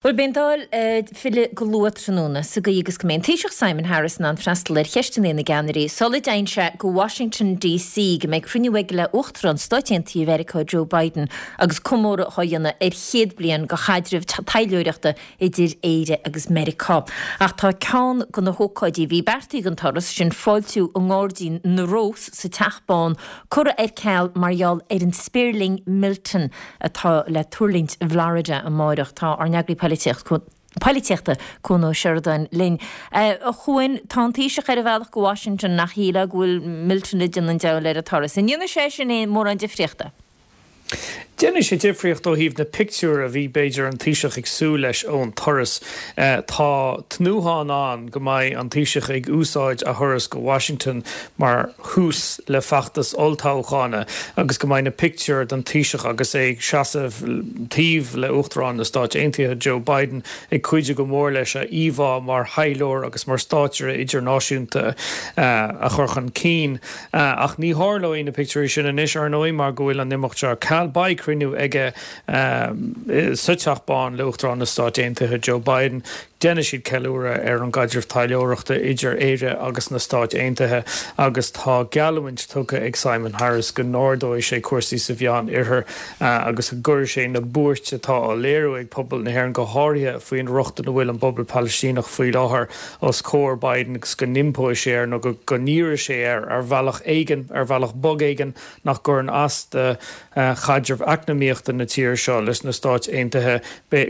Bhuel, beidh an Dáil ag filleadh go luath tráthnóna, sa gcaoi agus go mbeidh an Taoiseach Simon Harris in ann freastal ar cheisteanna na gceannairí sula dtéann sé go Washington DC go mbeidh cruinniú aige le Uachtarán Stáit Aontaithe Mheiriceá Joe Biden agus comóradh á dhéanamh ar chéad bliain de chaidreamh taidhleoireachta idir Éire agus Meiriceá. Ach tá ceann de na hócáidí a bhí beartaithe don turas, sin fáiltiú i nGairdín na Rós sa Teach Bán, curtha ar ceal mar gheall ar an spéirling Milton. atá le tuirlingt i bhFlorida amáireach. Tá ár n-eagraí polaitíochta, Cuan Ó Seireadáin linn. A Chuain, tá an Taoiseach ar a bhealach go Washington ach shílfeá go bhfuil Milton ag déanamh an diabhail ar an turas. An ndéanfaidh sé sin aon mórán difríochta? Déanfaidh sé difríocht ó thaobh na pictiúir a bhí, b'fhéidir, an Taoiseach ag súil leis ón turas. Tá tnúthán ann go mbeidh an Taoiseach ag úsáid a thuras go Washington mar thús le feachtas olltoghchána agus go mbeidh na pictiúir den Taoiseach agus é ag seasamh taobh le Uachtarán na Stáit Aontaithe Joe Biden ag cuidiú go mór leis a íomhá mar thaidhleoir agus mar státaire idirnáisiúnta a chur chun cinn. Ach ní tharlóidh na pictiúirí sin anois, ar ndóigh, mar go bhfuil an imeacht seo ar ceal. Beidh cruinniú aige sa Teach Bán le Uachtarán na Stáit Aontaithe Joe Biden. Déanfaidh siad ceiliúradh ar an gcaidreamh taidhleoireachta idir Éire agus na Stáit Aontaithe agus tá geallúint tugtha ag Simon Harris go n-ardóidh sé cúrsaí sa Mheán Oirthear agus go gcuirfidh sé na buairt atá á léiriú ag pobal na hÉireann, go háirithe faoin rochtain a bhfuil an bpobal Palaistíneach faoi láthair, os comhair Biden agus go n-impóidh sé air nó go n-iarrfaidh sé air ar bhealach éigin, ar bhealach bog éigin nach gcuireann as do chaidreamh eacnamaíochta na tíre seo leis na Stáit Aontaithe,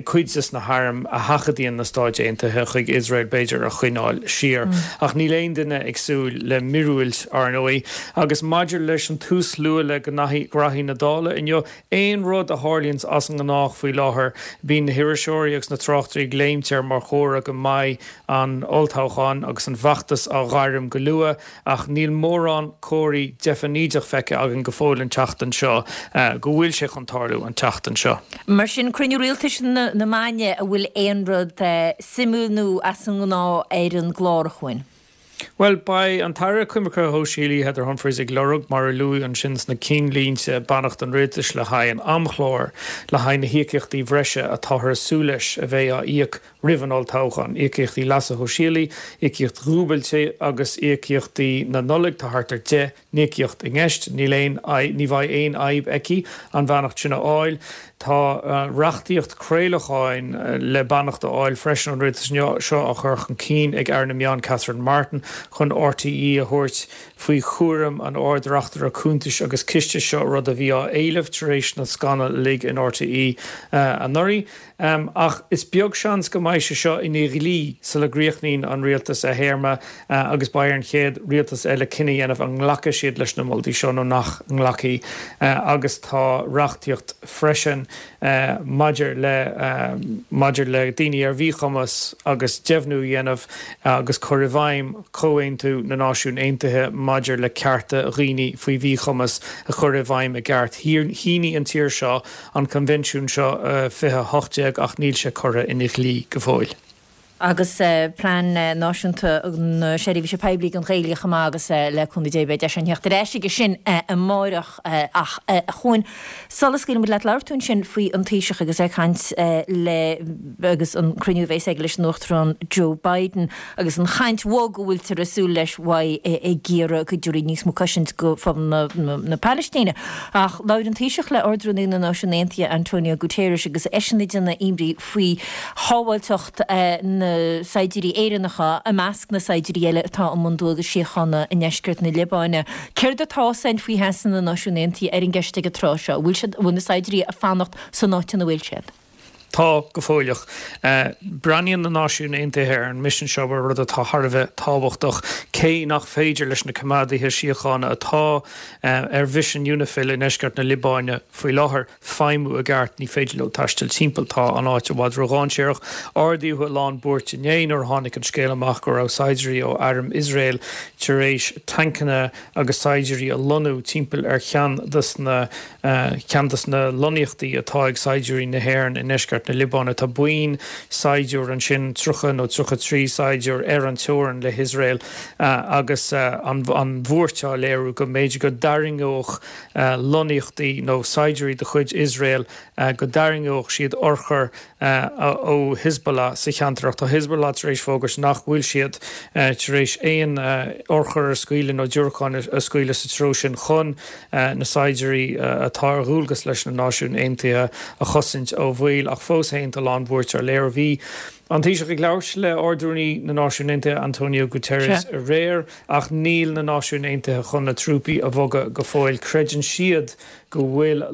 cuid des na hairm a sheachadaíonn na Stáit Aontaithe chuig Iosrael, b'fhéidir, a choinneáil siar. Ach níl aon duine ag súil le míorúilt, ar ndóigh. Agus maidir leis an tús luath le gnaithí na Dála inniu, aon rud a tharlaíonns as an ngnách faoi láthair, bíonn na hiriseoirí agus na tráchtairí ag léimt air mar chomhartha go mbeidh an olltoghchán agus an feachtas á ghairm go luath. Ach níl mórán comharthaí deifnídeach feicthe againn go fóill an tseachtain seo go bhfuil sé chun tarlú an tseachtain seo. Mar sin, cruinniú rialtais na maidne, an bhfuil aon rud suimiúil nó as an ngnáth ar an gclár, a Chuain? Bhuel, beidh an tAire Coimirce Shóisialaí Heather Humphreys ag lorg, mar a luadh ansin sna cinnlínte, beannacht an Rialtais le haghaidh an amchláir le haghaidh na híocaíochtaí bhreise atáthar ag súil leis a bheidh á íoc roimh an olltoghchán, íocaíochtaí leasa shóisialaigh, íocaíocht dhúbailte agus íocaíochtaí na Nollag, tá thart ar 10 n-íocaíocht i gceist. Níl aon, ní bheidh aon fhadhb aici an bheannacht sin a fháil. Tá reachtaíocht craolacháin le beannacht a fháil freisin ón rialtas inniu, seo á chur chun cinn ag Aire na Meán Catherine Martin chun RTÉ a thabhairt faoi chúram an Ard-Reachtaire Cuntais agus Ciste, seo rud a bhí á éileamh tar éis na scannal uilig in RTÉ anuraidh. Ach is beag seans go mbeidh sé seo ina dhlí sula gcríochnaíonn an rialtas a théarma agus beidh ar an chéad rialtas eile cinneadh a dhéanamh an nglacfaidh siad leis na moltaí seo nó nach nglacfaidh. Agus tá reachtaíocht freisin maidir le maidir le daoine ar mhíchumas agus deimhniú a dhéanamh agus cur i bhfeidhm Chomhaontú na Náisiún Aontaithe maidir le cearta dhaoine faoi mhíchumas a chur i bhfeidhm i gceart. Shínigh an tír seo an coinbhinsiún seo 2018 ach níl sé curtha ina dhlí go fóill. Agus Plean Náisiúnta na Seirbhíse Poiblí don Ghaeilge chomh maith agus le cúnamh Dé beidh deis againn theacht ar ais aige sin amáireach. Ach a Chuain, sula scaoilfidh muid leat labhair tú ansin faoi an Taoiseach agus é ag caint le agus an cruinniú a bheas aige leis an Uachtarán Joe Biden. Agus an chaint bhog a bhfuiltear ag súil leis uaidh ag iarraidh go dtabharfaí níos mó cosaint go phobal na Palaistíne. Ach labhair an Taoiseach le Ard-Rúnaí na Náisiún Aontaithe Antonio Guterres agus eisean ag déanamh imní faoi shábháilteacht na saighdiúirí Éireannacha i measc na saighdiúirí eile atá i mbun dualgais síochána i ndeisceart na Liobáine. Céard atá a fhios againn faoi sheasamh na Náisiún Aontaithe ar an gceist ag an tráth seo? An bhfuil siad, an bhfuil na saighdiúirí ag fanacht san áit ina bhfuil siad? Tá, go fóilleach. Breathnaíonn na Náisiúin Aontaithe ar an misean seo mar rud atá thar a bheith tábhachtach, cé nach féidir leis na coimeádaithe síochána atá ar mhisean Unifil i ndeisceart na Liobáine faoi láthair feidhmiú i gceart, ní féidir leo taisteal timpeall, tá an áit i bhfad ródhainséarach. Ardaíodh a lán buairt inné nuair a tháinig an scéal amach go raibh saighdiúirí ó airm Iosrael tar éis tancanna agus saighdiúirí a lonnú timpeall ar cheann de na ceann de na lonnaíochtaí atá ag saighdiúirí na hÉireann i ndeisceart. iardheisceart na Liobáine. Tá buíon saighdiúir ansin, 30 nó 33 saighdiúir, ar an teorainn le hIosrael agus an bhuairt á léiriú go mb'fhéidir go dtarraingeodh lonnaíochtaí nó saighdiúirí de chuid Iosrael, go dtarraingeodh siad urchair ó Hezbollah sa cheantar. Ach tá Hezbollah tar éis fógairt nach bhfuil siad tar éis aon urchar a scaoileadh nó diúracáin a scaoileadh sa treo sin chun na saighdiúirí atá ar dhualgas leis na Náisiúin Aontaithe a chosaint ó bhaol. Ach fós féin tá a lán buairt á léiriú. Bhí an Taoiseach ag labhairt le Ard-Rúnaí na Náisiún Aontaithe Antonio Guterres aréir ach níl na Náisiúin Aontaithe chun na trúpaí a bhogadh go fóill. Creideann siad go bhfuil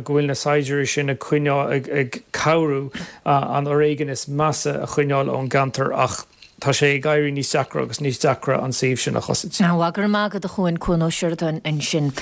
go bhfuil na saighdiúirí sin ag coinneáil ag cabhrú an fhoréigean is measa a choinneáil ón gceantar ach tá sé ag éirí níos deacra agus níos deacra an suíomh sin a chosaint. Go raibh maith agat a Chuain, Cuan Ó Seireadáin ansin.